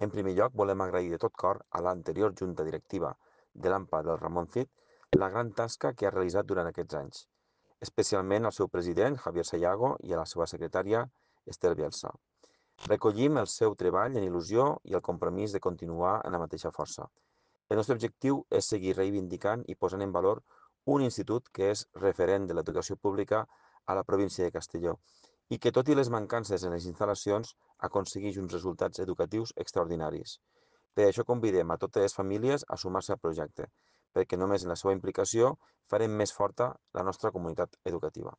En primer lloc, volem agrair de tot cor a l'anterior junta directiva de l'AMPA del Ramon Cid la gran tasca que ha realitzat durant aquests anys, especialment al seu president, Javier Sayago, i a la seva secretària, Estel Bielsa. Recollim el seu treball en il·lusió i el compromís de continuar en la mateixa força. El nostre objectiu és seguir reivindicant i posant en valor un institut que és referent de l'educació pública a la província de Castelló i que, tot i les mancances en les instal·lacions, aconsegueix uns resultats educatius extraordinaris. Per això convidem a totes les famílies a sumar-se al projecte, perquè només en la seva implicació farem més forta la nostra comunitat educativa.